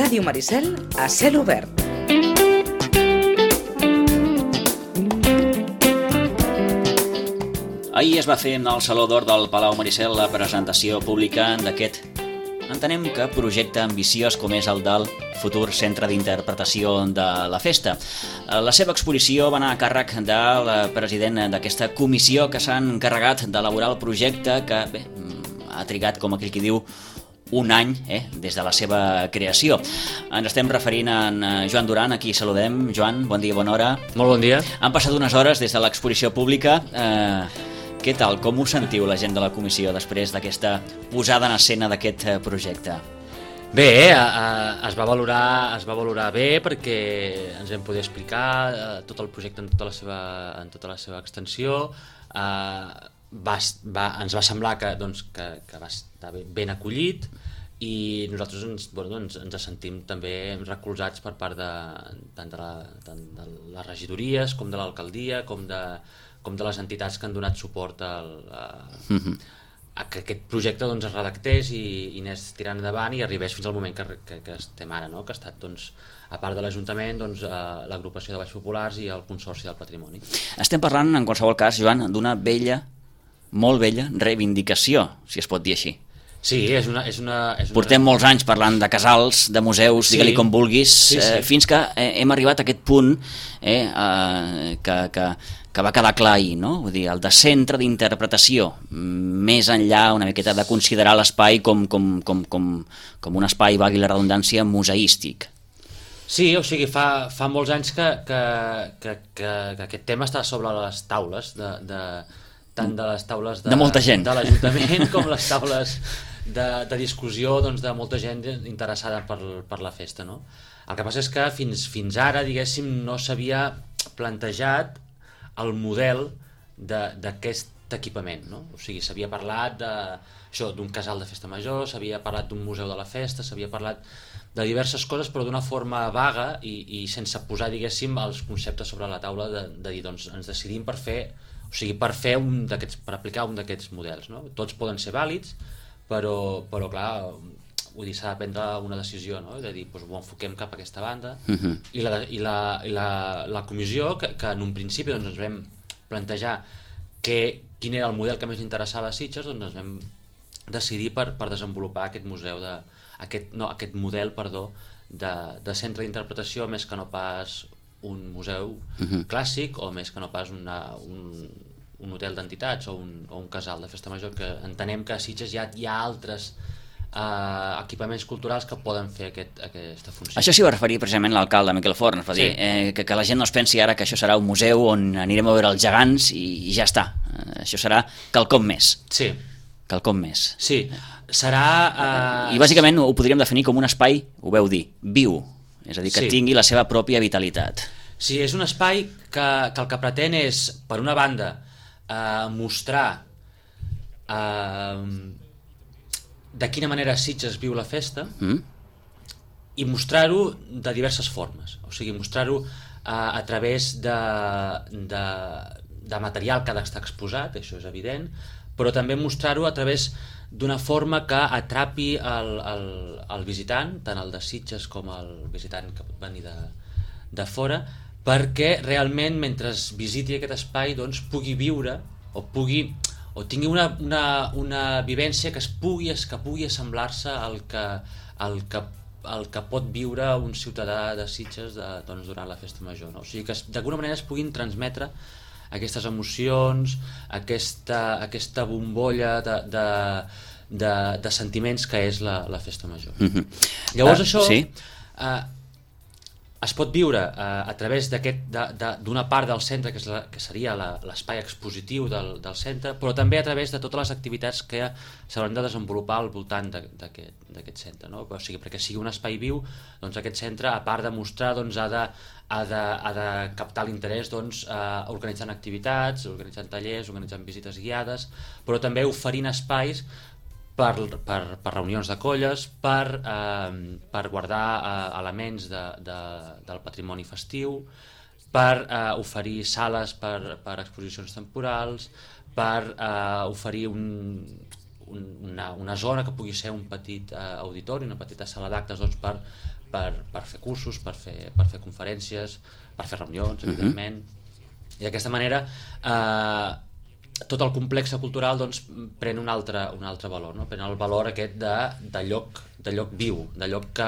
Ràdio Maricel a cel obert. Ahir es va fer al Saló d'Or del Palau Maricel la presentació pública d'aquest, entenem que projecte ambiciós com és el del futur centre d'interpretació de la festa. La seva exposició va anar a càrrec del president d'aquesta comissió que s'ha encarregat d'elaborar el projecte que ha trigat, com aquell qui diu, un any des de la seva creació. Ens estem referint a en Joan Duran, a qui saludem. Joan, bon dia, bona hora. Molt bon dia. Han passat unes hores des de l'exposició pública. Què tal? Com us sentiu, la gent de la comissió, després d'aquesta posada en escena d'aquest projecte? Bé, es va valorar bé perquè ens vam poder explicar tot el projecte en tota la seva extensió. Ens va semblar que va estar ben acollit i nosaltres ens sentim també recolzats per part tant de les regidories com de l'alcaldia com de les entitats que han donat suport a que aquest projecte es redactés i anés tirant endavant i arribés fins al moment que estem ara, no? Que ha estat, a part de l'Ajuntament, l'agrupació de Baix Populars i el Consorci del Patrimoni. Estem parlant, en qualsevol cas, Joan, d'una molt vella reivindicació, si es pot dir així. Sí, és una... Portem molts anys parlant de casals, de museus, digue-li com vulguis, fins que hem arribat a aquest punt que va quedar clar ahir, no? Vull dir, el de centre d'interpretació, més enllà una miqueta de considerar l'espai com un espai, valgui la redundància, museístic. Sí, o sigui, fa molts anys que aquest tema està sobre les taules tant de les taules de molta gent, de l'Ajuntament com les taules de discussió de molta gent interessada per la festa, no? El que passa és que fins ara, diguéssim, no s'havia plantejat el model d'aquest equipament, no? O sigui, s'havia parlat d'un casal de festa major, s'havia parlat d'un museu de la festa, s'havia parlat de diverses coses, però d'una forma vaga i sense posar, diguéssim, els conceptes sobre la taula de dir, ens decidim per aplicar un d'aquests models, no? Tots poden ser vàlids, però clar, vull dir, s'ha de prendre una decisió, no? De dir, ho enfoquem cap a aquesta banda. I la comissió, que en un principi ens vam plantejar quin era el model que més interessava a Sitges, ens vam decidir per desenvolupar aquest model de centre d'interpretació, més que no pas un museu clàssic o més que no pas un hotel d'entitats o un casal de festa major, que entenem que a Sitges hi ha altres equipaments culturals que poden fer aquesta funció. Això s'hi va referir precisament l'alcalde Miquel Forn, va dir que la gent no es pensi ara que això serà un museu on anirem a veure els gegants i ja està. Això serà quelcom més. Sí. Quelcom més. Sí, serà... I bàsicament ho podríem definir com un espai, ho veu dir, viu, és a dir, que tingui la seva pròpia vitalitat. Sí, és un espai que el que pretén és, per una banda, mostrar de quina manera Sitges viu la festa i mostrar-ho de diverses formes. O sigui, mostrar-ho a través de material que ha d'estar exposat, això és evident, però també mostrar-ho a través d'una forma que atrapi el visitant, tant el de Sitges com el visitant que pot venir de fora, perquè realment mentre visiti aquest espai pugui viure o tingui una vivència que pugui assemblar-se al que pot viure un ciutadà de Sitges durant la festa major, no? O sigui que d'alguna manera es puguin transmetre aquestes emocions, aquesta bombolla de sentiments que és la festa major. Llavors això es pot viure a través d'una part del centre que seria l'espai expositiu del centre, però també a través de totes les activitats que s'hauran de desenvolupar al voltant d'aquest centre, no? O sigui, perquè sigui un espai viu, aquest centre, a part de mostrar, ha de captar l'interès organitzant activitats, organitzant tallers, organitzant visites guiades, però també oferint espais per reunions de colles, per guardar elements del patrimoni festiu, per oferir sales per exposicions temporals, per oferir una zona que pugui ser un petit auditori, una petita sala d'actes per per fer cursos, per fer conferències, per fer reunions, evidentment. I d'aquesta manera tot el complex cultural doncs, pren un altre valor, no? Pren el valor aquest de lloc viu, de lloc que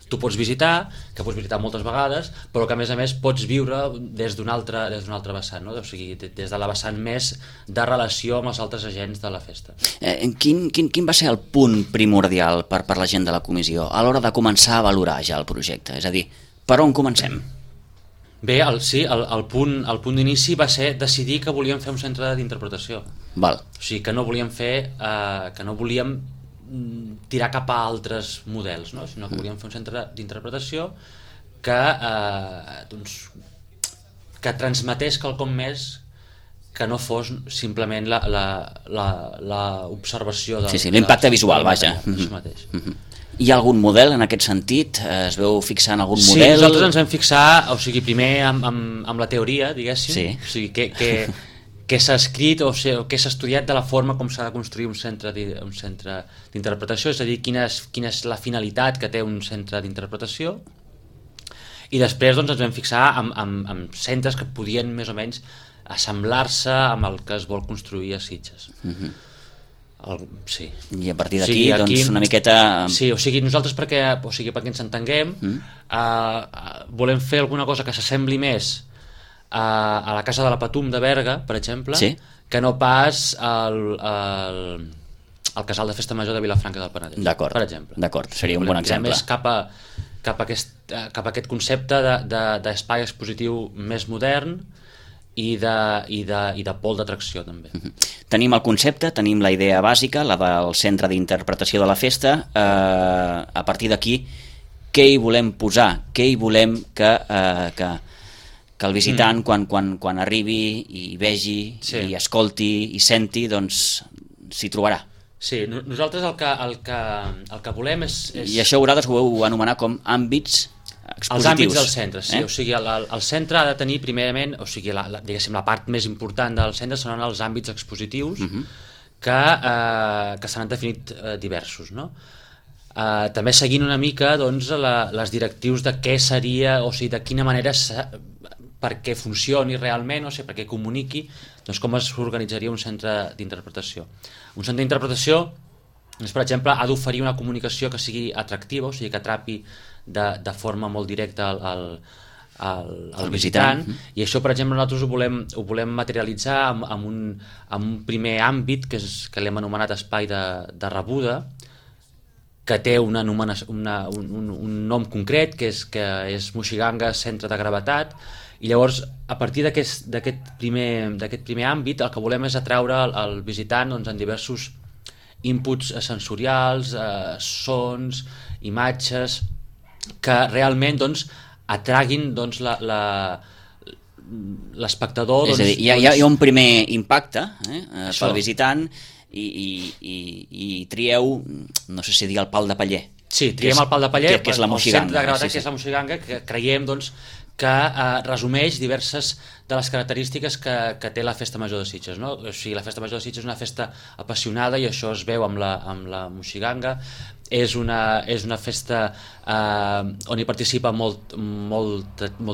tu pots visitar, que pots visitar moltes vegades, però que a més pots viure des d'un altre vessant, no? O sigui, des de la vessant més de relació amb els altres agents de la festa. Quin va ser el punt primordial per la gent de la comissió a l'hora de començar a valorar ja el projecte? És a dir, per on comencem? Bé, el punt d'inici va ser decidir que volíem fer un centre d'interpretació. Val. O sigui, que no volíem tirar cap a altres models, no? Sinó que volíem fer un centre d'interpretació que transmetés quelcom més que no fos simplement l'observació del... Sí, l'impacte visual, vaja. Això mateix. Hi ha algun model en aquest sentit? Es veu fixar en algun model? Sí, nosaltres ens vam fixar, o sigui, primer amb la teoria, diguéssim, sí. O sigui, què s'ha escrit o què s'ha estudiat de la forma com s'ha de construir un centre d'interpretació, és a dir, quina és la finalitat que té un centre d'interpretació, i després doncs, ens vam fixar en centres que podien més o menys assemblar-se amb el que es vol construir a Sitges. Sí. I a partir d'aquí, doncs, una miqueta... Sí, o sigui, nosaltres perquè ens entenguem, volem fer alguna cosa que s'assembli més a la Casa de la Patum de Berga, per exemple, sí, que no pas al Casal de Festa Major de Vilafranca del Penedès, per exemple. D'acord, seria un bon exemple. Més cap a aquest concepte d'espai expositiu més modern i de pol d'atracció, també. Tenim el concepte, tenim la idea bàsica, la del centre d'interpretació de la festa. A partir d'aquí, què hi volem posar? Què hi volem que el visitant, quan arribi i vegi, sí, i escolti i senti, doncs s'hi trobarà? Sí, nosaltres el que volem és... I això vosaltres ho heu anomenat com àmbits expositius. Els àmbits del centre, sí. O sigui, el centre ha de tenir primerament, o sigui, diguéssim, la part més important del centre seran els àmbits expositius, que se n'han definit diversos, no? També seguint una mica doncs, les directius de què seria, o sigui, de quina manera perquè funcioni realment, o sigui, perquè comuniqui, doncs com s'organitzaria un centre d'interpretació. Un centre d'interpretació, doncs, per exemple, ha d'oferir una comunicació que sigui atractiva, o sigui, que atrapi de forma molt directa al visitant, i això, per exemple, nosaltres ho volem materialitzar amb un primer àmbit que l'hem anomenat espai de rebuda, que té un nom concret, que és Moixiganga Centre de Gravetat, i llavors a partir d'aquest primer àmbit el que volem és atraure el visitant doncs, en diversos inputs sensorials, sons, imatges, que realment doncs, atraguin doncs, l'espectador. És a dir, hi ha un primer impacte pel visitant i trieu, no sé si dir el pal de paller. Sí, triem el pal de paller, que és la Moixiganga. El centre de gravetat, que és la Moixiganga, que creiem doncs, que resumeix diverses de les característiques que té la Festa Major de Sitges, no? O sigui, la Festa Major de Sitges és una festa apassionada i això es veu amb la Moixiganga. És una festa on hi participa molt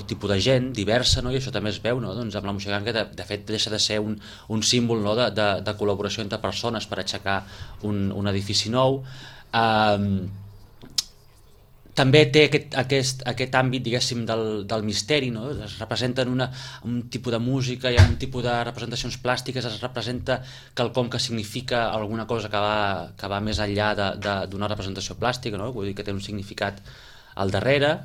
tipus de gent diversa, no? I això també es veu, no? Doncs amb la Moixiganga de fet deixa de ser un símbol, no? de col·laboració entre persones per aixecar un edifici nou. També té aquest àmbit, diguéssim, del misteri, no? Es representa en un tipus de música i en un tipus de representacions plàstiques, es representa quelcom que significa alguna cosa que va més enllà d'una representació plàstica, no? Vull dir que té un significat al darrere,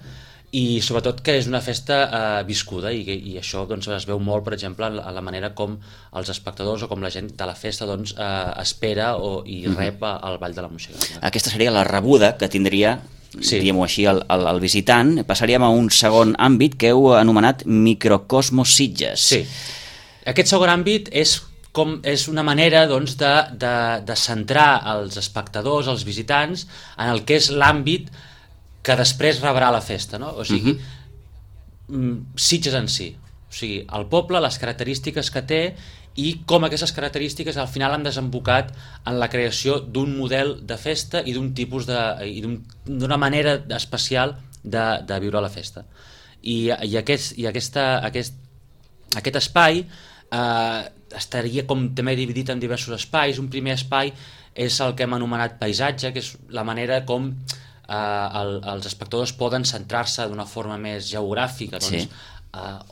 i sobretot que és una festa viscuda, i això doncs, es veu molt, per exemple, en la manera com els espectadors o com la gent de la festa doncs, espera i rep el Ball de la Moixiganga. Aquesta seria la rebuda que tindria, sí, diguem-ho així, el visitant. Passaríem a un segon àmbit que heu anomenat Microcosmos Sitges. Sí, aquest segon àmbit és una manera doncs, de centrar els espectadors, els visitants, en el que és l'àmbit que després rebrà la festa, no? O sigui, Sitges en si, o sigui, el poble, les característiques que té i com aquestes característiques al final han desembocat en la creació d'un model de festa i d'un tipus d'una manera especial de viure la festa. I aquest espai estaria com també dividit en diversos espais. Un primer espai és el que hem anomenat paisatge, que és la manera com els espectadors poden centrar-se d'una forma més geogràfica, doncs,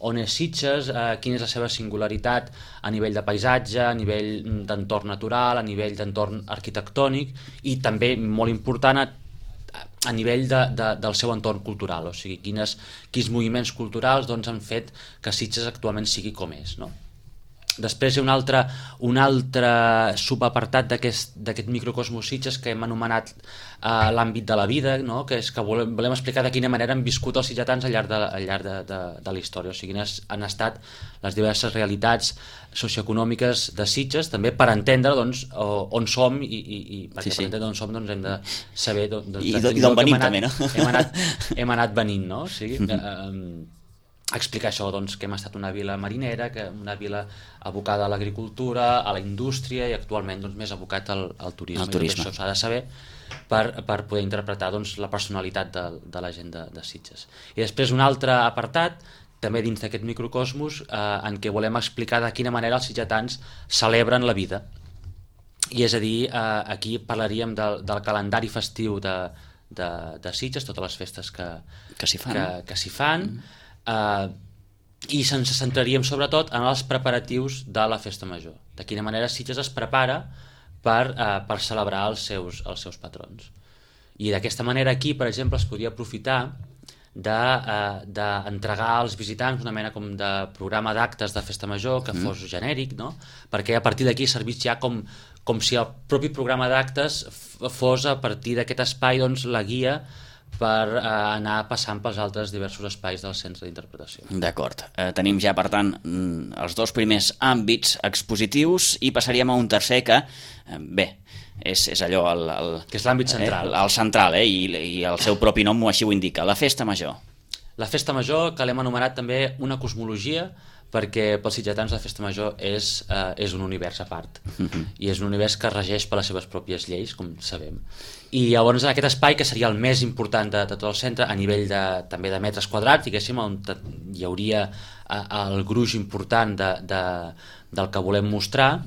on és Sitges, quina és la seva singularitat a nivell de paisatge, a nivell d'entorn natural, a nivell d'entorn arquitectònic i també, molt important, a nivell del seu entorn cultural, o sigui, quins moviments culturals doncs, han fet que Sitges actualment sigui com és, no? Després hi ha un altre subapartat d'aquest microcosmos Sitges que hem anomenat l'àmbit de la vida, no? Que és que volem explicar de quina manera han viscut els sitgetans al llarg de la història, o sigui, quines han estat les diverses realitats socioeconòmiques de Sitges, també per entendre doncs, on som i perquè per entendre on som doncs, hem de saber i d'on venim també, no? Hem anat venint, no? O sigui, explicar això, doncs, que hem estat una vila marinera, que una vila abocada a l'agricultura, a la indústria i actualment doncs, més abocat al turisme. Això s'ha de saber per poder interpretar doncs, la personalitat de la gent de Sitges. I després un altre apartat, també dins d'aquest microcosmos, en què volem explicar de quina manera els sitgetans celebren la vida. I és a dir, aquí parlaríem del calendari festiu de Sitges, totes les festes que s'hi fan, i ens centraríem sobretot en els preparatius de la festa major, de quina manera Sitges es prepara per celebrar els seus patrons. I d'aquesta manera aquí, per exemple, es podria aprofitar d'entregar als visitants una mena com de programa d'actes de festa major que fos genèric, no? Perquè a partir d'aquí servís ja com si el propi programa d'actes fos a partir d'aquest espai doncs, la guia per anar passant pels altres diversos espais del centre d'interpretació. D'acord. Tenim ja, per tant, els dos primers àmbits expositius i passaríem a un tercer que, bé, és allò... que és l'àmbit central. El central, i el seu propi nom així ho indica, la festa major. La festa major, que l'hem anomenat també una cosmologia, perquè pels sitgetans la festa major és un univers a part, i és un univers que es regeix per les seves pròpies lleis, com sabem. I llavors en aquest espai, que seria el més important de tot el centre, a nivell també de metres quadrats, diguéssim, on hi hauria el gruix important del que volem mostrar,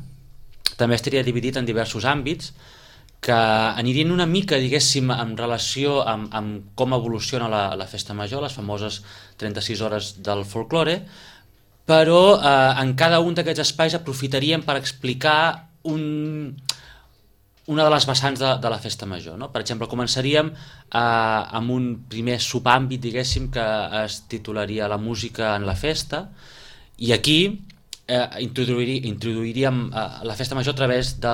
també estaria dividit en diversos àmbits que anirien una mica, diguéssim, en relació amb com evoluciona la festa major, les famoses 36 hores del folklore, però en cada un d'aquests espais aprofitaríem per explicar una de les vessants de la festa major, no? Per exemple, començaríem amb un primer subàmbit, diguéssim, que es titularia La música en la festa, i aquí introduiríem la festa major a través de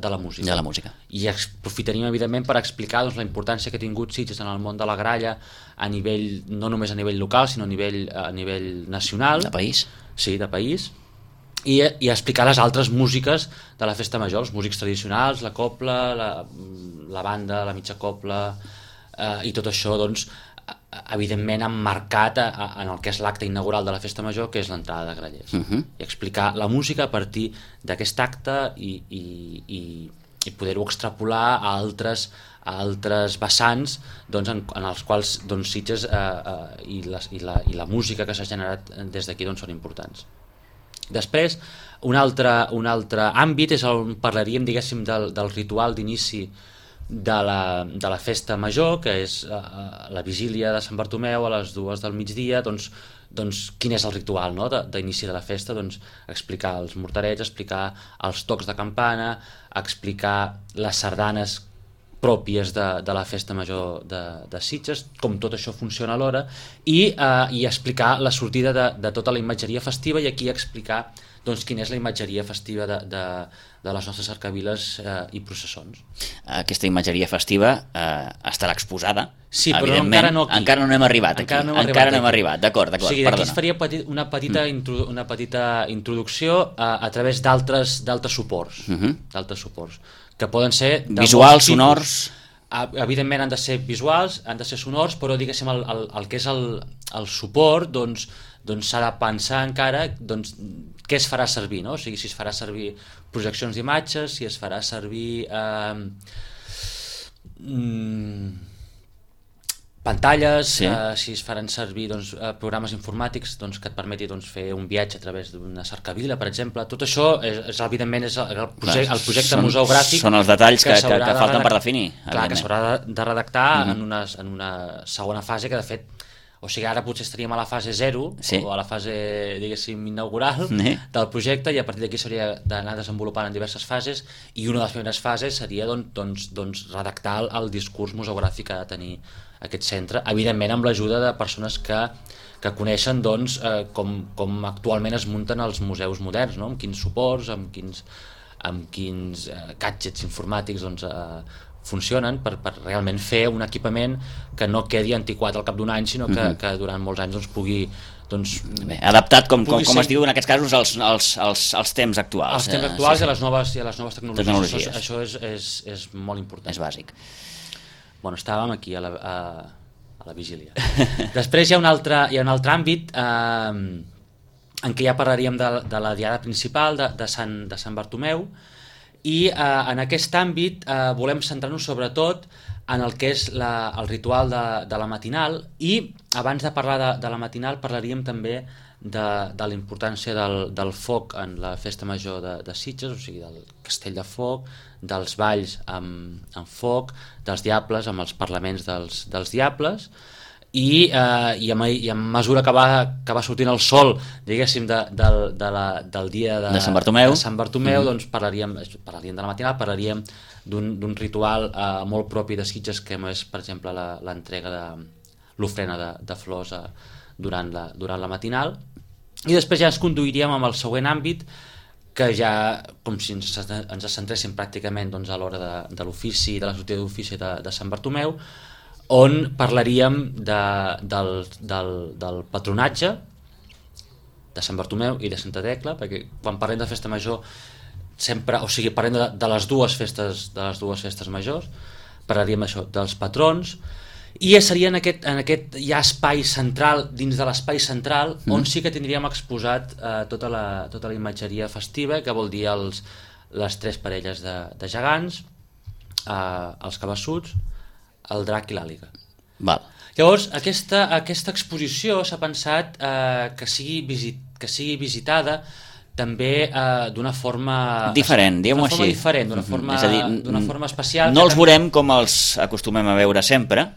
la música. De la música. I aprofitaríem, evidentment, per explicar doncs, la importància que ha tingut Sitges en el món de la gralla, a nivell, no només a nivell local, sinó a nivell nacional. De país. Sí, de país. I explicar les altres músiques de la festa major, els músics tradicionals, la copla, la banda, la mitja copla, i tot això, doncs, evidentment emmarcat en el que és l'acte inaugural de la festa major, que és l'entrada de grallers. I explicar la música a partir d'aquest acte i poder-ho extrapolar a altres vessants doncs, en els quals doncs, Sitges i la música que s'ha generat des d'aquí doncs, són importants. Després, un altre àmbit és on parlaríem, diguéssim, del ritual d'inici de la festa major, que és la vigília de Sant Bartomeu a les 2 del migdia. Doncs quin és el ritual, no? D'inici de la festa, doncs explicar els morterets, explicar els tocs de campana, explicar les sardanes pròpies de la festa major de Sitges, com tot això funciona alhora, i explicar la sortida de tota la imatgeria festiva, i aquí explicar doncs, quina és la imatgeria festiva de les nostres cercaviles i processons. Aquesta imatgeria festiva estarà exposada, sí, però encara no aquí. Encara no hem arribat aquí. Encara no hem arribat, d'acord, o sigui, aquí es faria una petita introducció a través d'altres suports, que poden ser... Visuals, sonors... Evidentment han de ser visuals, han de ser sonors, però diguéssim el que és el suport doncs s'ha de pensar encara doncs, què es farà servir, no? O sigui, si es farà servir projeccions d'imatges, si es farà servir pantalles, Sí. si es faran servir programes informàtics que et permeti fer un viatge a través d'una cercavila, per exemple. Tot això evidentment és el projecte museogràfic. Són els detalls que s'haurà falten per definir. Clar, que s'haurà de redactar en una segona fase que, de fet, o sigui, ara potser estaríem a la fase 0 o a la fase, diguéssim, inaugural del projecte, i a partir d'aquí s'hauria d'anar desenvolupant en diverses fases, i una de les primeres fases seria redactar el discurs museogràfic que ha de tenir aquest centre, evidentment amb l'ajuda de persones que coneixen com actualment es munten els museus moderns, no? Amb quins suports, amb quins gadgets informàtics funcionen per realment fer un equipament que no quedi antiquat al cap d'un any, sinó que durant molts anys pugui... adaptat, com es diu en aquests casos, als temps actuals. Els temps actuals i a les noves tecnologies. Això és molt important. És bàsic. Bueno, estàvem aquí a la vigília. Després hi ha un altre àmbit en què ja parlaríem de la diada principal de Sant Bartomeu, i en aquest àmbit volem centrar-nos sobretot en el que és el ritual de la matinal, i abans de parlar de la matinal parlaríem també de la importància del foc en la festa major de Sitges, o sigui, del castell de foc, dels balls amb foc, dels diables, amb els parlaments dels diables, i a mesura que va sortint el sol, diguéssim, del dia de Sant Bartomeu, doncs parlaríem de la matinal, parlaríem d'un ritual molt propi de Sitges, que és, per exemple, l'entrega de l'ofrena de flors durant la matinal. I després ja ens conduiríem amb el següent àmbit, que ja, com si ens centréssim pràcticament a l'hora de l'ofici, de la sortida d'ofici de Sant Bartomeu, on parlaríem del patronatge de Sant Bartomeu i de Santa Tecla, perquè quan parlem de festa major sempre, o sigui, parlem de les dues festes majors, parlaríem això, dels patrons, i seria en aquest ja espai central, dins de l'espai central, on sí que tindríem exposat tota la imatgeria festiva, que vol dir les tres parelles de gegants, els cabassuts, el drac i l'àliga. Llavors, aquesta exposició s'ha pensat que sigui visitada també d'una forma diferent, diguem-ho així. D'una forma especial. No els veurem com els acostumem a veure sempre,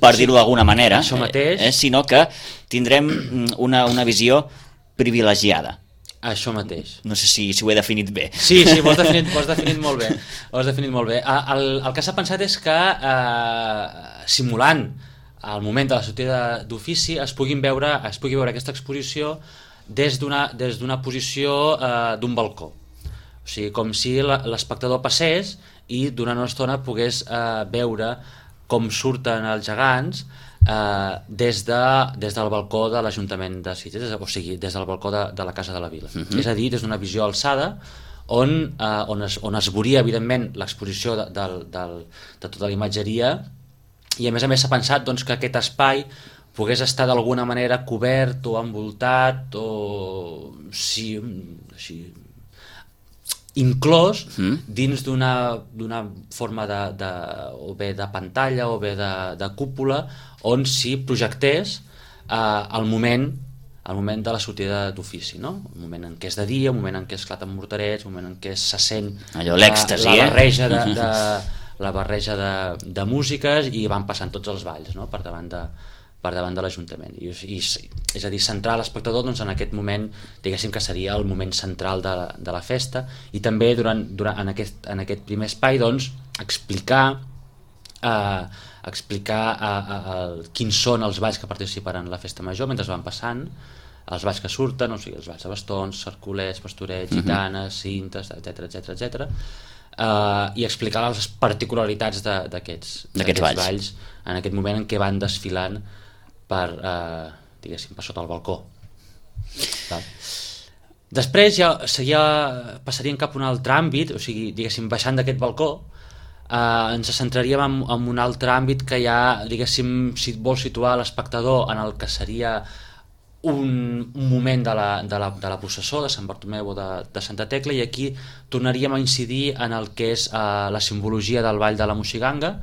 per dir-ho d'alguna manera, sinó que tindrem una visió privilegiada. Això mateix. No sé si ho he definit bé. Sí, ho has definit molt bé. El que s'ha pensat és que, simulant el moment de la sortida d'ofici, es pugui veure aquesta exposició des d'una posició d'un balcó. O sigui, com si l'espectador passés i durant una estona pogués veure com surten els gegants des del balcó de l'Ajuntament de Sitges, o sigui, des del balcó de la Casa de la Vila. És a dir, des d'una visió alçada on es veuria, evidentment, l'exposició de tota la imatgeria, i a més s'ha pensat que aquest espai pogués estar d'alguna manera cobert o envoltat o inclòs dins d'una forma o bé de pantalla o bé de cúpula, on s'hi projectés el moment de la sortida d'ofici, no? El moment en què és de dia, el moment en què esclaten morterets, el moment en què se sent la barreja de músiques, i van passant tots els balls, no? per davant de l'Ajuntament. És a dir, centrar l'espectador en aquest moment, diguéssim que seria el moment central de la festa, i també en aquest primer espai explicar quins són els balls que participaran en la festa major mentre van passant, els balls que surten, o sigui, els balls de bastons, cercolets, pastorets, gitanes, cintes, etc, i explicar les particularitats d'aquests balls en aquest moment en què van desfilant per sota el balcó. Després ja passaríem cap a un altre àmbit, o sigui, baixant d'aquest balcó, ens centraríem en un altre àmbit que ja, si vol situar l'espectador en el que seria un moment de la processó de Sant Bartomeu o de Santa Tecla, i aquí tornaríem a incidir en el que és la simbologia del ball de la Moixiganga,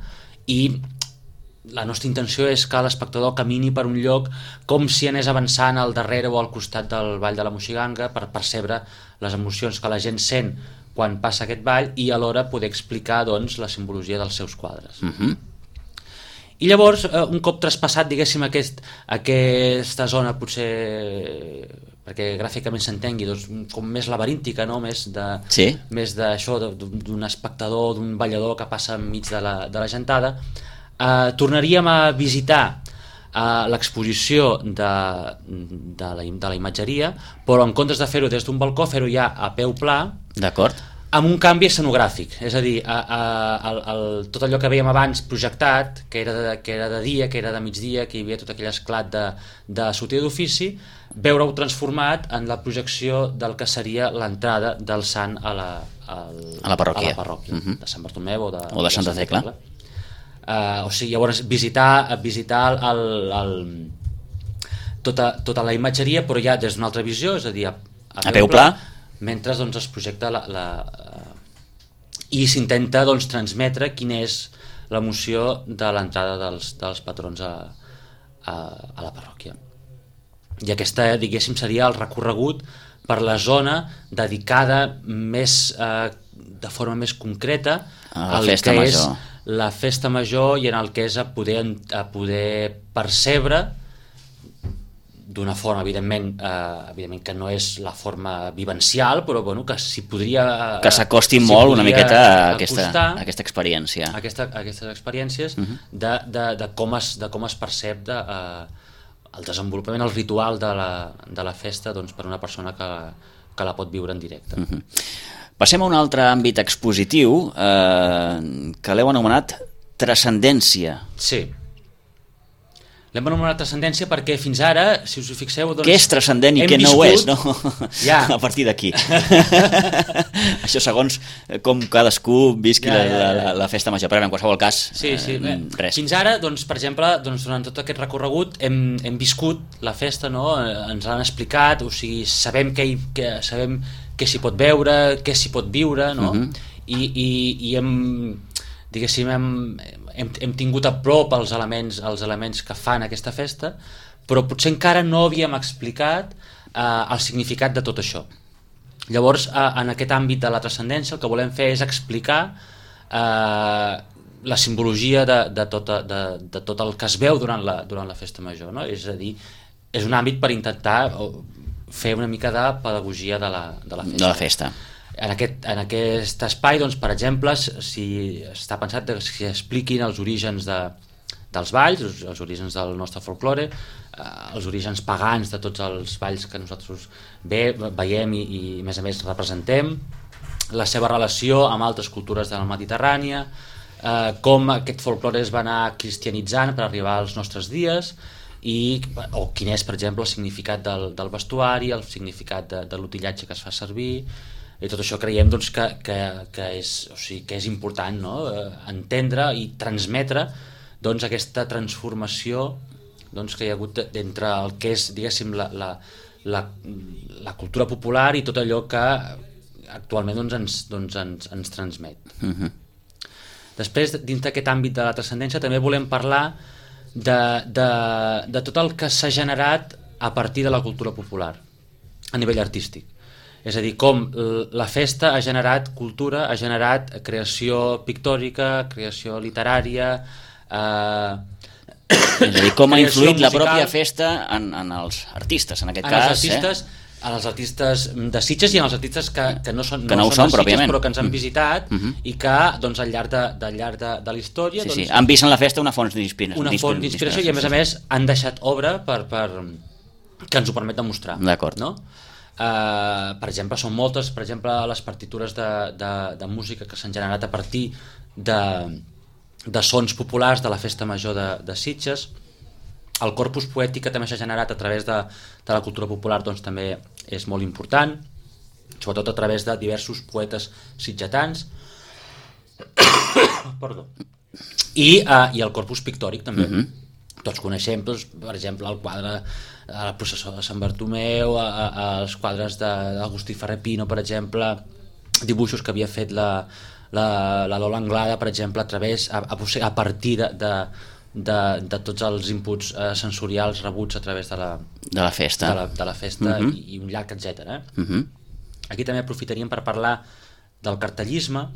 i la nostra intenció és que l'espectador camini per un lloc com si anés avançant al darrere o al costat del Ball de la Moixiganga per percebre les emocions que la gent sent quan passa aquest ball i alhora poder explicar doncs, la simbologia dels seus quadres. I llavors, un cop traspassat, diguéssim, aquesta zona, potser perquè gràficament s'entengui, doncs, com més laberíntica, no? Més d'això, d'un espectador, d'un ballador que passa enmig de la gentada, tornaríem a visitar l'exposició de la imatgeria, però en comptes de fer-ho des d'un balcó, fer-ho ja a peu pla. D'acord. Amb un canvi escenogràfic, és a dir, tot allò que vèiem abans projectat, que era de dia, que era de migdia, que hi havia tot aquell esclat de sortida d'ofici, veure-ho transformat en la projecció del que seria l'entrada del sant a la parròquia de Sant Bartomeu o de Santa Tecla. O sigui, llavors visitar tota la imatgeria, però ja des d'una altra visió, és a dir, a peu pla, mentre doncs, es projecta i s'intenta doncs, transmetre quina és l'emoció de l'entrada dels patrons a la parròquia. I aquesta, diguéssim, seria el recorregut per la zona dedicada de forma més concreta a la festa major. La festa major i en el que és a poder percebre d'una forma, evidentment que no és la forma vivencial, però bueno, que s'hi podria... Que s'acosti molt una miqueta a aquesta experiència. Aquestes experiències de com es percep el desenvolupament, el ritual de la festa doncs, per una persona que la pot viure en directe. Passem a un altre àmbit expositiu que l'heu anomenat transcendència. Sí. L'hem anomenat transcendència perquè fins ara, si us hi fixeu... Doncs, què és transcendent i què no ho és, no? Ja. A partir d'aquí. Això segons com cadascú visqui la festa major, però en qualsevol cas, res. Fins ara, doncs, per exemple, doncs, durant tot aquest recorregut hem viscut la festa, no? Ens l'han explicat, o sigui, sabem què s'hi pot veure, què s'hi pot viure, no? I hem tingut a prop els elements que fan aquesta festa, però potser encara no havíem explicat el significat de tot això. Llavors, en aquest àmbit de la transcendència, el que volem fer és explicar la simbologia de tot el que es veu durant la festa major, no? És a dir, és un àmbit per intentar fer una mica de pedagogia de la festa. En aquest espai, doncs, per exemple, si està pensat que s'expliquin els orígens dels balls, els orígens del nostre folklore, els orígens pagans de tots els balls que nosaltres veiem i a més representem, la seva relació amb altres cultures de la Mediterrània, com aquest folklore es va anar cristianitzant per arribar als nostres dies, o quin és, per exemple, el significat del vestuari, el significat de l'utillatge que es fa servir. I tot això creiem doncs, que és important, no? Entendre i transmetre doncs, aquesta transformació doncs, que hi ha hagut entre el que és, diguéssim, la cultura popular i tot allò que actualment ens transmet. Després, dins d'aquest àmbit de la transcendència, també volem parlar de tot el que s'ha generat a partir de la cultura popular a nivell artístic. És a dir, com la festa ha generat cultura, ha generat creació pictòrica, creació literària... És a dir, com ha influït la pròpia festa en els artistes, en aquest cas. En els artistes de Sitges i en els artistes que no són de Sitges, però que ens han visitat i que doncs, al llarg de la història... Sí, han vist en la festa una font d'inspiració. Una font d'inspiració i, a més, han deixat obra que ens ho permet demostrar. D'acord. No? Per exemple, són moltes, per exemple, les partitures de música que s'han generat a partir de sons populars de la festa major de Sitges. El corpus poètic que també s'ha generat a través de la cultura popular doncs, també és molt important, sobretot a través de diversos poetes sitgetans. Perdó. I el corpus pictòric també. Tots coneixem, doncs, per exemple, el quadre la processó de Sant Bartomeu, els quadres d'Agustí Ferrer Pino, per exemple, dibuixos que havia fet la Lola Anglada, per exemple, a partir de tots els inputs sensorials rebuts a través de la festa, i un llarg etcètera. Aquí també aprofitaríem per parlar del cartellisme,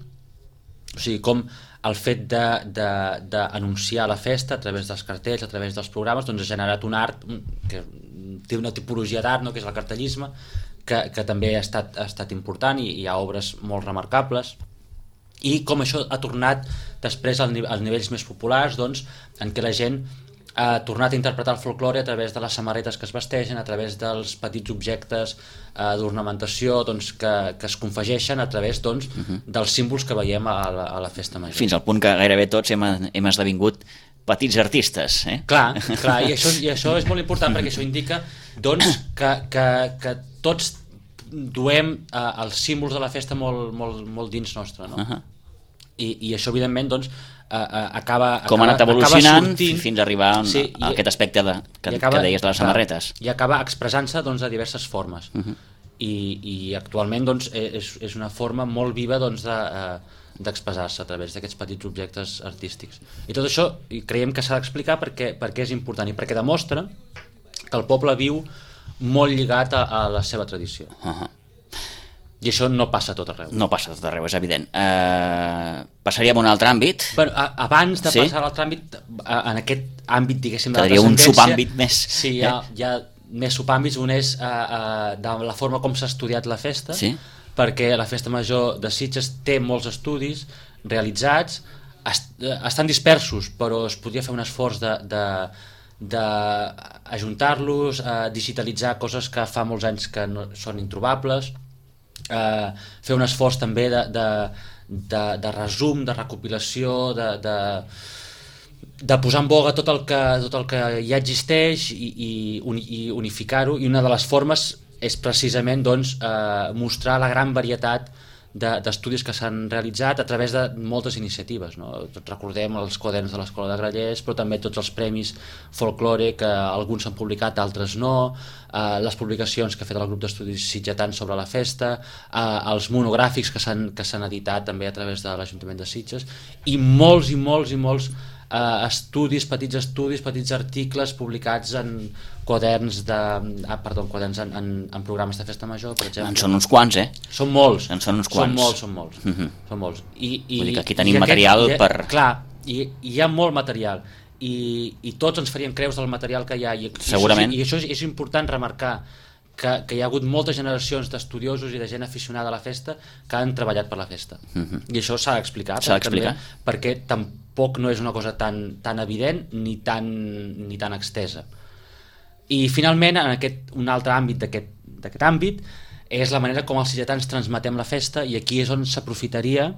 o sigui, com el fet d'anunciar la festa a través dels cartells, a través dels programes, doncs ha generat un art que té una tipologia d'art, no?, que és el cartellisme, que també ha estat important, i hi ha obres molt remarcables, i com això ha tornat després als nivells més populars, doncs, en què la gent ha tornat a interpretar el folklore a través de les samarretes que es vesteixen, a través dels petits objectes d'ornamentació, doncs, que es confegeixen a través, doncs, dels símbols que veiem a la festa major. Fins al punt que gairebé tots hem esdevingut petits artistes. Clar, i això és molt important, perquè això indica, doncs, que tots duem els símbols de la festa molt dins nostre, no? I això, evidentment, doncs, com ha anat evolucionant fins a arribar a aquest aspecte que deies de les samarretes. I acaba expressant-se, doncs, de diverses formes. I actualment, doncs, és una forma molt viva, doncs, d'expressar-se a través d'aquests petits objectes artístics. I tot això creiem que s'ha d'explicar perquè és important i perquè demostra que el poble viu molt lligat a la seva tradició. I això no passa a tot arreu. No passa a tot arreu, és evident. Passaríem a un altre àmbit. Bueno, abans de passar a l'altre àmbit, en aquest àmbit, diguéssim, de la transcendència... un subàmbit més. Sí, hi ha més subàmbits. Un és de la forma com s'ha estudiat la festa, perquè la festa major de Sitges té molts estudis realitzats, estan dispersos, però es podria fer un esforç d'ajuntar-los, digitalitzar coses que fa molts anys que no són introbables, fer un esforç també de resum, de recopilació, de posar en boga tot el que ja existeix i unificar-ho, i una de les formes és precisament, doncs, mostrar la gran varietat d'estudis que s'han realitzat a través de moltes iniciatives, no? Recordem els quaderns de l'Escola de Grallers, però també tots els premis folklore, que alguns s'han publicat, d'altres no, les publicacions que ha fet el grup d'estudis sitgetans sobre la festa, els monogràfics que s'han editat també a través de l'Ajuntament de Sitges, i molts estudis, petits articles publicats en quaderns en programes de festa major, per exemple. En són uns quants, Són molts. Són molts. Són molts. Vull dir que aquí tenim material per... Clar, i hi ha molt material, i tots ens faríem creus del material que hi ha, segurament. I això és important remarcar, que hi ha hagut moltes generacions d'estudiosos i de gent aficionada a la festa que han treballat per la festa. I això s'ha d'explicar. Perquè tampoc no és una cosa tan evident ni tan extesa. I finalment, un altre àmbit d'aquest àmbit és la manera com els sitgetans transmetem la festa, i aquí és on s'aprofitaria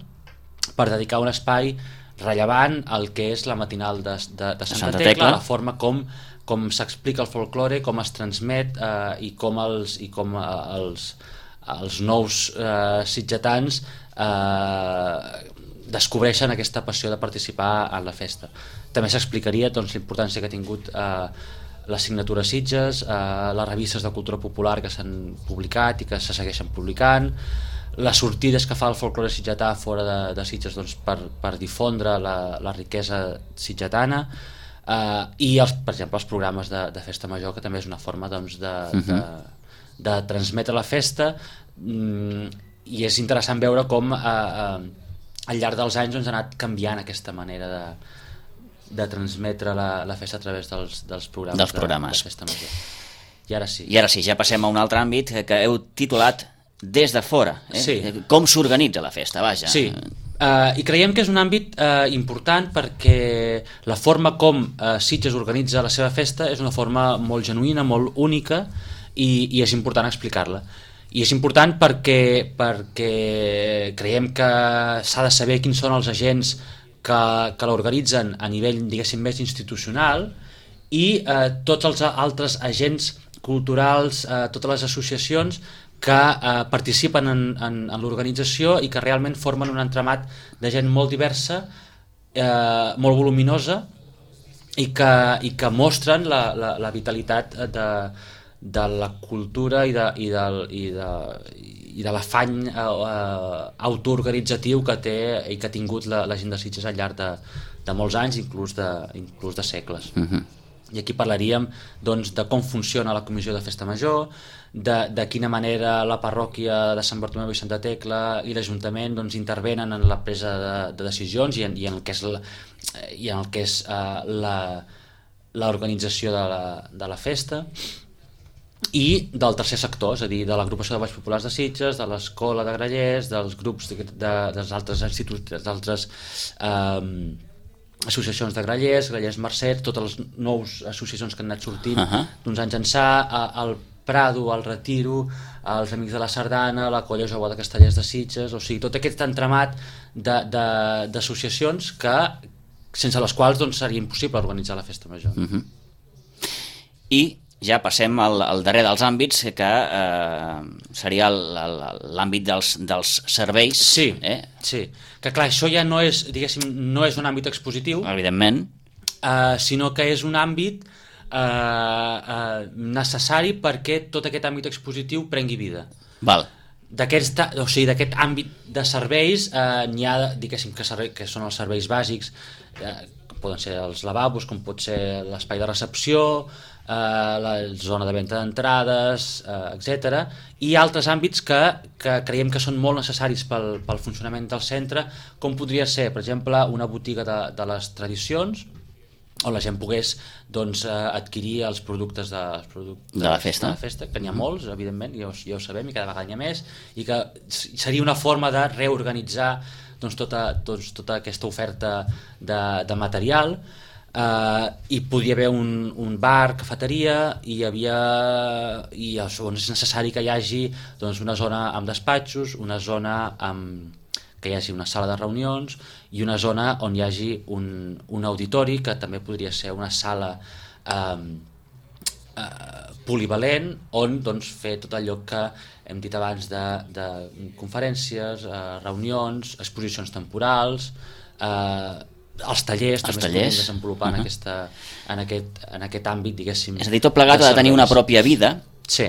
per dedicar un espai rellevant al que és la matinal de Santa Tecla, la forma com s'explica el folklore, com es transmet, i com els nous sitgetans descobreixen aquesta passió de participar en la festa. També s'explicaria, doncs, la importància que ha tingut l'assignatura Sitges, les revistes de cultura popular que s'han publicat i que se segueixen publicant, les sortides que fa el folklore sitgetà fora de Sitges, doncs, per difondre la riquesa sitgetana, i per exemple els programes de festa major, que també és una forma, doncs, de transmetre la festa, i és interessant veure com al llarg dels anys, doncs, ha anat canviant aquesta manera de transmetre la festa a través dels programes. De festa major. I ara sí, ja passem a un altre àmbit que heu titulat Des de fora. Sí. Com s'organitza la festa, vaja. Sí, i creiem que és un àmbit important, perquè la forma com Sitges organitza la seva festa és una forma molt genuïna, molt única, i és important explicar-la. I és important perquè creiem que s'ha de saber quins són els agents que l'organitzen a nivell, diguéssim, més institucional, i tots els altres agents culturals, totes les associacions que participen en l'organització i que realment formen un entramat de gent molt diversa, molt voluminosa, i que mostren la vitalitat de la cultura i i de l'afany autoorganitzatiu que té i que ha tingut la gent de Sitges al llarg de molts anys, inclús de segles. I aquí parlaríem doncs, de com funciona la Comissió de Festa Major, de quina manera la parròquia de Sant Bartomeu i Santa Tecla i l'Ajuntament doncs, intervenen en la presa de decisions i en el que és l'organització de la festa, i del tercer sector, és a dir, de l'agrupació de Balls Populars de Sitges, de l'Escola de Grallers, dels grups dels altres instituts, d'altres associacions de Grallers Mercè, totes les nous associacions que han anat sortint d'uns anys ençà, el Prado, el Retiro, els Amics de la Sardana, la Colla Jove de Castellers de Sitges, o sigui, tot aquest entramat d'associacions que sense les quals doncs, seria impossible organitzar la festa major. I ja passem al darrer dels àmbits, que seria l'àmbit dels serveis. Sí, sí. Que clar, això ja no és, diguéssim, no és un àmbit expositiu, evidentment, sinó que és un àmbit necessari perquè tot aquest àmbit expositiu prengui vida. Val. D'aquest àmbit de serveis n'hi ha, diguéssim, que són els serveis bàsics, poden ser els lavabos, com pot ser l'espai de recepció, la zona de venda d'entrades, etc. I altres àmbits que creiem que són molt necessaris pel funcionament del centre, com podria ser, per exemple, una botiga de les tradicions, on la gent pogués doncs, adquirir els productes de la festa, que n'hi ha molts, evidentment, ja ho sabem, i cada vegada n'hi ha més, i que seria una forma de reorganitzar doncs, tota aquesta oferta de material. I podia haver un bar, cafeteria, i és necessari que hi hagi doncs, una zona amb despatxos, una zona que hi hagi una sala de reunions i una zona on hi hagi un auditori, que també podria ser una sala polivalent, on doncs, fer tot allò que hem dit abans de conferències, reunions, exposicions temporals, els tallers també es podien desenvolupar en aquest àmbit, diguéssim. És a dir, tot plegat ha de tenir una pròpia vida, sí,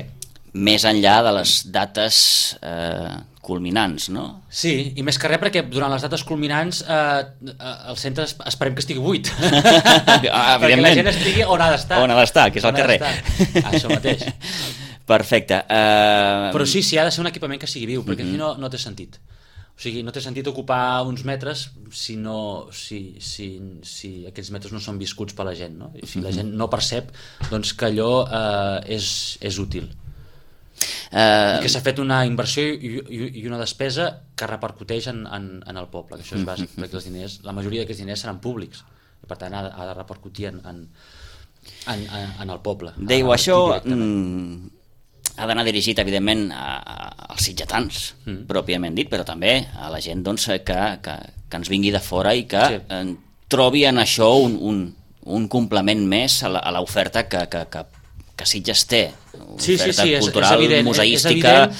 més enllà de les dates culminants, no? Sí, i més que res perquè durant les dates culminants el centre esperem que estigui buit. Perquè la gent estigui on ha d'estar. On ha d'estar, que és al carrer. Això mateix. Perfecte. Però sí, ha de ser un equipament que sigui viu, perquè si no té sentit. O sigui, no té sentit ocupar uns metres si aquests metres no són viscuts per la gent, no? I si la gent no percep doncs, que allò és útil. I que s'ha fet una inversió i una despesa que repercuteix en el poble, que això és bàsic, perquè els diners, la majoria d'aquests diners seran públics, i per tant ha de repercutir en el poble. Dèieu, això ha d'anar dirigit, evidentment, als sitgetans, pròpiament dit, però també a la gent doncs, que ens vingui de fora i que trobi en això un complement més a l'oferta que Sitges té, oferta cultural, museística.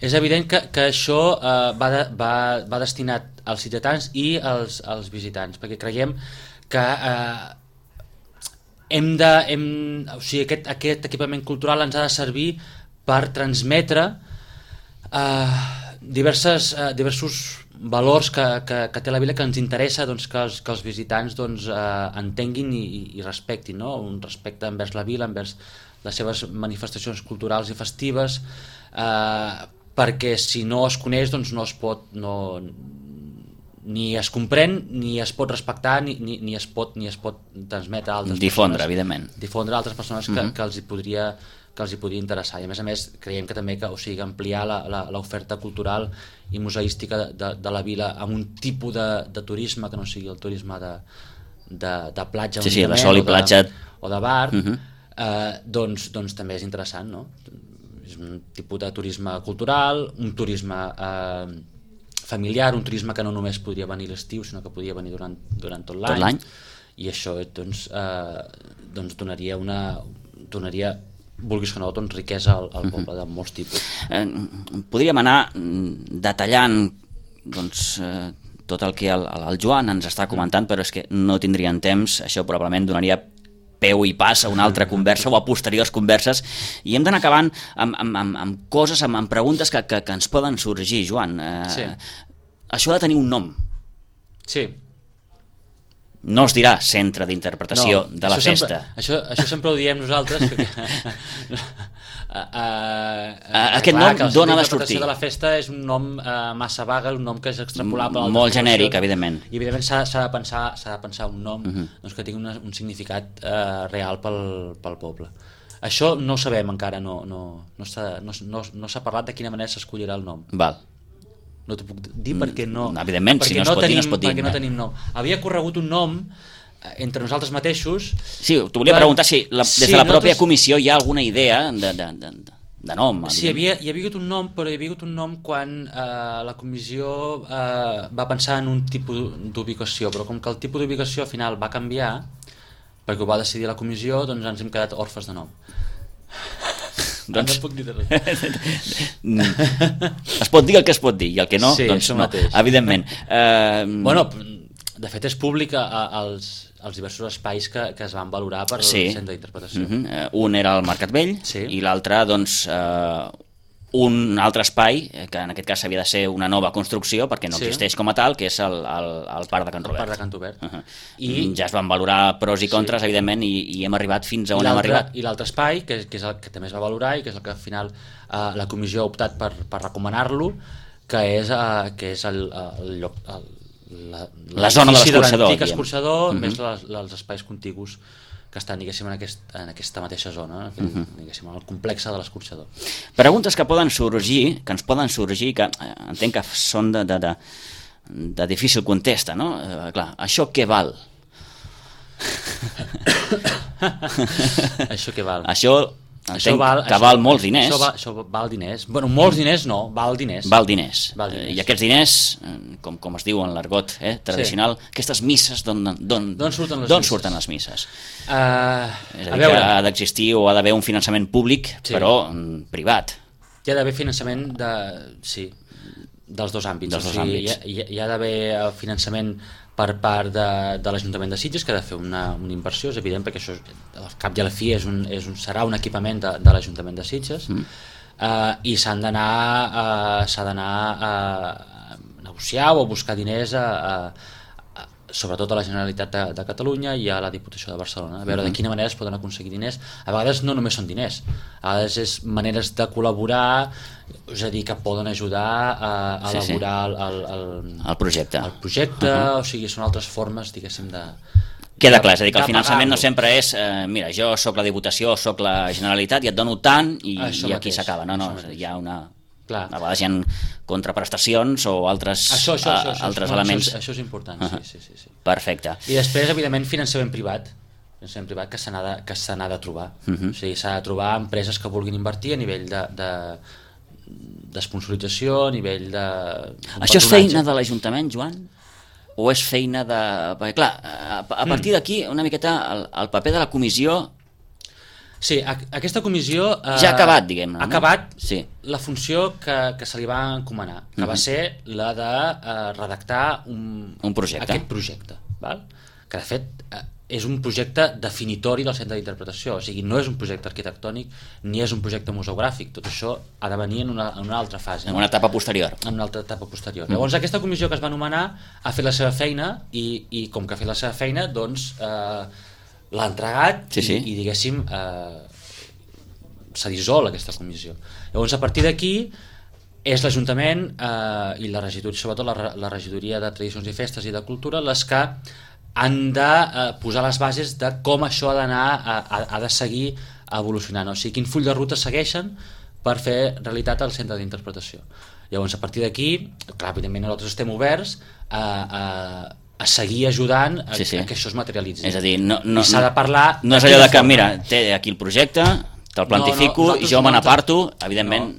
És evident que això va destinat als sitgetans i als visitants, perquè creiem que aquest equipament cultural ens ha de servir per transmetre diversos valors que té la vila, que ens interessa doncs, que els visitants doncs, entenguin i respectin, no? Un respecte envers la vila, envers les seves manifestacions culturals i festives, perquè si no es coneix doncs no es pot ni es comprèn, ni es pot respectar, ni es pot transmetre a altres difondre, persones, evidentment, difondre a altres persones que els hi podria interessar. I a més creiem que també ampliar l'oferta cultural i museística de la vila amb un tipus de turisme que no sigui el turisme de platja, sí, de sol i platja o de bar, doncs també és interessant, no? És un tipus de turisme cultural, un turisme familiar, un turisme que no només podria venir a l'estiu, sinó que podria venir durant tot l'any. I això doncs donaria vulguis que no, doncs, riquesa al poble de molts tipus. Podríem anar detallant doncs, tot el que el Joan ens està comentant, però és que no tindríem temps, això probablement donaria peu i pas a una altra conversa o a posteriors converses, i hem d'anar acabant amb coses, amb preguntes que ens poden sorgir, Joan. Sí. Això ha de tenir un nom. Sí. No es dirà centre d'interpretació de la festa. Això sempre ho diem nosaltres. Aquest nom d'on ha de sortir? La festa és un nom massa vaga, un nom que és extrapolable. Molt genèric, evidentment. I evidentment s'ha de pensar un nom que tingui un significat real pel poble. Això no ho sabem encara, no s'ha parlat de quina manera s'escollirà el nom. Val. No t'ho puc dir perquè no... Evidentment, si no es pot dir, no es pot dir. Perquè no tenim nom. Havia corregut un nom entre nosaltres mateixos... Sí, t'ho volia preguntar si des de la pròpia comissió hi ha alguna idea de nom. Sí, hi havia hagut un nom, però hi havia hagut un nom quan la comissió va pensar en un tipus d'ubicació, però com que el tipus d'ubicació al final va canviar, perquè ho va decidir la comissió, doncs ens hem quedat orfes de nom. Doncs... no puc dir res. Es pot dir el que es pot dir i el que no, sí, doncs no, mateix. Evidentment. Bueno, de fet és públic els diversos espais que es van valorar per al centre d'interpretació. Un era el Mercat Vell i l'altre, doncs, un altre espai, que en aquest cas havia de ser una nova construcció, perquè no existeix com a tal, que és el Parc de Can Robert. El Parc de Can Robert. I ja es van valorar pros i contres, evidentment, i hem arribat fins a on hem arribat. I l'altre espai, que és el que també es va valorar i que és el que al final la comissió ha optat per recomanar-lo, que és el lloc... La zona de l'escorxador. L'antic escorxador, més els espais contigus que estan, diguéssim, en aquesta mateixa zona, diguéssim, en el complex de l'escorxador. Preguntes que poden sorgir, que ens poden sorgir, que entenc que són de difícil contesta, no? Clar, això què val? Això què val? Això val molts diners. Això val diners. Bueno, molts diners no, val diners. Val diners. I aquests diners, com es diu en l'argot tradicional, aquestes misses, d'on surten les misses? És a dir, que ha d'existir o ha d'haver un finançament públic, però privat. Hi ha d'haver finançament dels dos àmbits. Hi ha d'haver finançament per part de l'Ajuntament de Sitges, que ha de fer una inversió, és evident, perquè això al cap i a la fi serà un equipament de l'Ajuntament de Sitges, i s'ha d'anar a negociar o a buscar diners sobretot a la Generalitat de Catalunya i a la Diputació de Barcelona, a veure de quina manera es poden aconseguir diners. A vegades no només són diners, a vegades és maneres de col·laborar, és a dir, que poden ajudar a elaborar el projecte. O sigui, són altres formes, diguéssim, de... Queda clar, és a dir, que el finançament no sempre és mira, jo sóc la Diputació, sóc la Generalitat i et dono tant i aquí s'acaba. No, hi ha una... A vegades hi ha contraprestacions o altres elements. Això és important, sí. Perfecte. I després, evidentment, finançament privat que se n'ha de trobar. O sigui, s'ha de trobar empreses que vulguin invertir a nivell d'esponsorització, a nivell de... Això és feina de l'Ajuntament, Joan? O és feina de... Perquè, clar, a partir d'aquí, una miqueta, el paper de la comissió... Sí, aquesta comissió... Ja ha acabat, diguem-ne. Ha acabat la funció que se li va encomanar, que va ser la de redactar un projecte. Aquest projecte, val? Que de fet és un projecte definitori del centre d'interpretació, o sigui, no és un projecte arquitectònic ni és un projecte museogràfic, tot això ha de venir en una altra fase. En una etapa posterior. En una altra etapa posterior. Llavors aquesta comissió que es va anomenar ha fet la seva feina i com que ha fet la seva feina, doncs... l'ha entregat i diguéssim s'ha dissolt aquesta comissió. Llavors a partir d'aquí és l'Ajuntament i la regidoria, sobretot la regidoria de Tradicions i Festes i de Cultura, les que han de posar les bases de com això ha de seguir evolucionant, o sigui, quin full de ruta segueixen per fer realitat al centre d'interpretació. Llavors a partir d'aquí, clar, evidentment nosaltres estem oberts a seguir ajudant a que això es materialitzi. És a dir, s'ha de parlar... No és allò de que, mira, té aquí el projecte, te'l plantifico i jo me n'aparto, evidentment...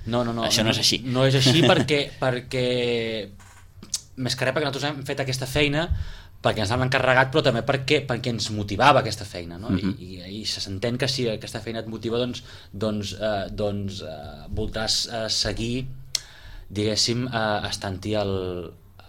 No, això no és així. No és així perquè més que res perquè nosaltres hem fet aquesta feina perquè ens l'han encarregat, però també perquè ens motivava aquesta feina, no? I se s'entén que si aquesta feina et motiva, doncs voldràs seguir, diguéssim, estant-hi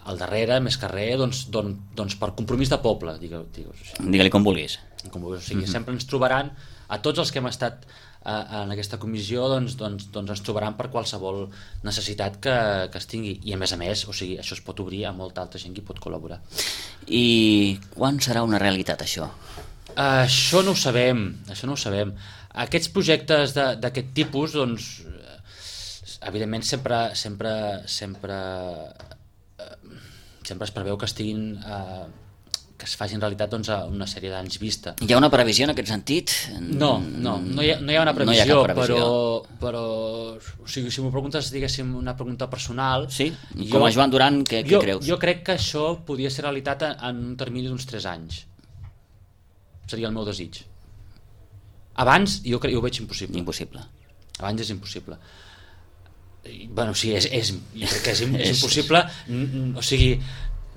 al darrere, més que res, doncs per compromís de poble, digues-ho així. Digue-li com vulguis. O sigui, sempre ens trobaran, a tots els que hem estat en aquesta comissió, doncs ens trobaran per qualsevol necessitat que es tingui, i a més, o sigui, això es pot obrir a molta altra gent que hi pot col·laborar. I quan serà una realitat, això? Això no ho sabem. Aquests projectes d'aquest tipus, doncs, evidentment sempre es preveu que estiguin que es facin realitat, doncs, a una sèrie d'anys vista. Hi ha una previsió en aquest sentit? No hi ha una previsió, però o sigui, si m'ho preguntes, diguéssim, una pregunta personal... Sí? Com a Joan Duran, què creus? Jo crec que això podria ser realitat en un termini d'uns 3 anys. Seria el meu desig. Abans jo ho veig impossible. Abans és impossible. Bueno, sí, jo crec que és impossible, o sigui,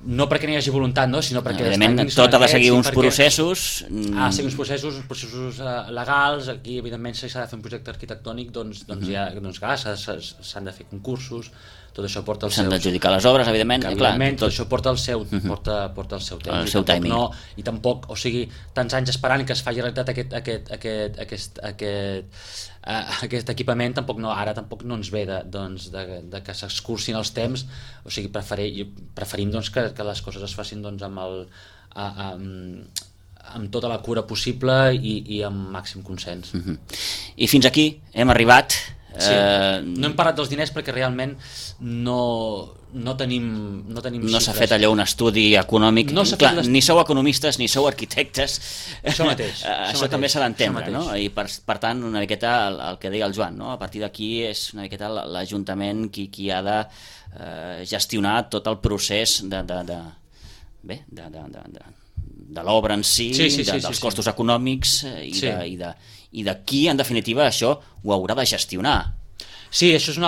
no perquè n'hi hagi voluntat, no? Sinó perquè evidentment tot ha de seguir uns processos... seguir uns processos legals. Aquí evidentment si s'ha de fer un projecte arquitectònic, doncs s'han de fer concursos, tot això porta el seu... S'han d'adjudicar les obres, evidentment. Tot això porta el seu temps. El seu timing. I tampoc, o sigui, tants anys esperant que es faci realitat aquest equipament, tampoc no ens ve de que s'escurcin els temps. O sigui, preferim doncs, que les coses es facin doncs, amb tota la cura possible i amb màxim consens. I fins aquí hem arribat. Sí. No hem parlat dels diners perquè realment no tenim xifres. No s'ha fet allò un estudi econòmic. Ni sou economistes ni sou arquitectes. Això mateix. Això també s'ha d'entendre, no? I per tant, una miqueta el que deia el Joan, no? A partir d'aquí és una miqueta l'Ajuntament qui ha de gestionar tot el procés de l'obra en si, dels costos econòmics i de qui, en definitiva, això ho haurà de gestionar. Sí, això és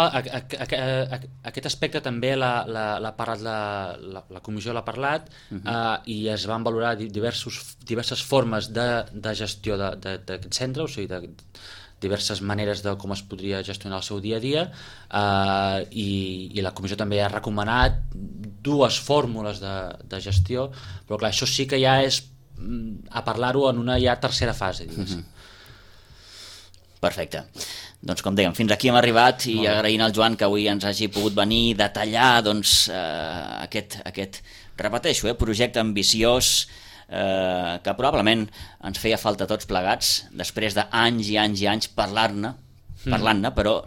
aquest aspecte també l'ha parlat la comissió, l'ha parlat, i es van valorar diverses formes de gestió d'aquest centre, o sigui, diverses maneres de com es podria gestionar el seu dia a dia, i la comissió també ha recomanat 2 fórmules de gestió, però clar, això sí que ja és a parlar-ho en una ja tercera fase, diguéssim. Perfecte. Doncs com dèiem, fins aquí hem arribat, i agraint al Joan que avui ens hagi pogut venir a detallar doncs, aquest repeteixo, projecte ambiciós que probablement ens feia falta a tots plegats, després d'anys i anys i anys parlant-ne, però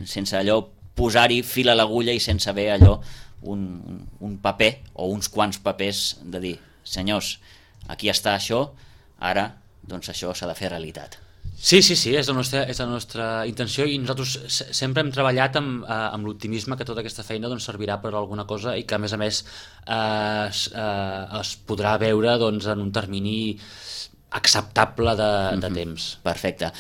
sense allò posar-hi fil a l'agulla i sense haver allò un paper o uns quants papers de dir, senyors, aquí està això, ara doncs això s'ha de fer realitat. Sí, és la nostra intenció, i nosaltres sempre hem treballat amb l'optimisme que tota aquesta feina doncs, servirà per alguna cosa i que a més es podrà veure doncs, en un termini acceptable de temps. Perfecte.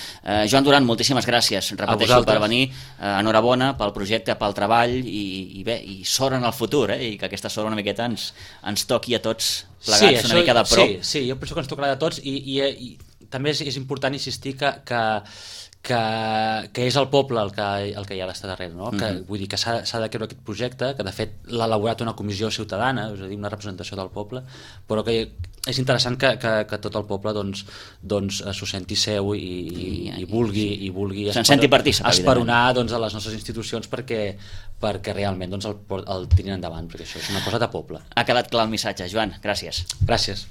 Joan Duran, moltíssimes gràcies, repeteixo, per venir. Enhorabona pel projecte, pel treball, i sort en el futur, i que aquesta sort una miqueta ens toqui a tots plegats una mica de prop. Sí, jo penso que ens tocarà de tots, i també és important insistir que és el poble el que hi ha d'estar darrere, no? Vull dir que s'ha de creure aquest projecte, que de fet l'ha elaborat una comissió ciutadana, és a dir, una representació del poble, però que és interessant que tot el poble doncs s'ho senti seu i vulgui esperonar doncs, a les nostres institucions perquè realment doncs, el tirin endavant, perquè això és una cosa de poble. Ha quedat clar el missatge, Joan, gràcies. Gràcies.